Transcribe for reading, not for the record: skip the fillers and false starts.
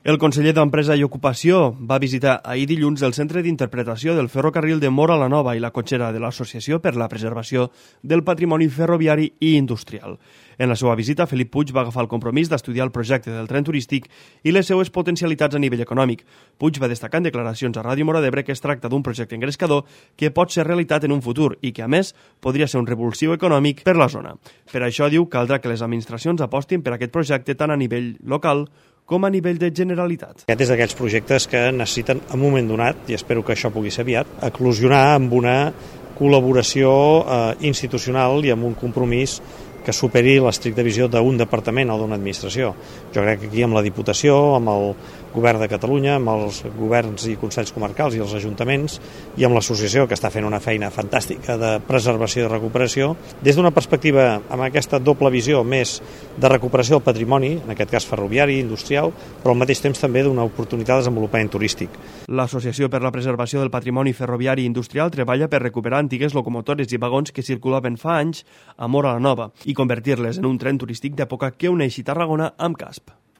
El conseller d'Empresa i Ocupació va visitar ahir dilluns el centre d'interpretació del ferrocarril de Móra la Nova i la cotxera de l'Associació per la Preservació del Patrimoni Ferroviari i Industrial. En la seva visita, Felip Puig va agafar el compromís d'estudiar el projecte del tren turístic i les seues potencialitats a nivell econòmic. Puig va destacar en declaracions a Ràdio Móra d'Ebre que es tracta d'un projecte engrescador que pot ser realitat en un futur i que, a més, podria ser un revulsiu econòmic per la zona. Per això, diu, caldrà que les administracions apostin per aquest projecte tant a nivell local com a nivell de Generalitat. Aquest és d'aquells projectes que necessiten, en un moment donat, i espero que això pugui ser aviat, eclosionar amb una col·laboració institucional i amb un compromís que superi l'estricta visió d'un departament o d'una administració. Jo crec que aquí amb la Diputació, amb el Govern de Catalunya, amb els governs i consells comarcals i els ajuntaments i amb l'associació que està fent una feina fantàstica de preservació i recuperació, des d'una perspectiva amb aquesta doble visió més de recuperació del patrimoni, en aquest cas ferroviari, industrial, però al mateix temps també d'una oportunitat de desenvolupament turístic. L'Associació per la Preservació del Patrimoni Ferroviari i Industrial treballa per recuperar antigues locomotores i vagons que circulaven fa anys a Móra la Nova i convertir-les en un tren turístic d'època que uneixi Tarragona amb Casp.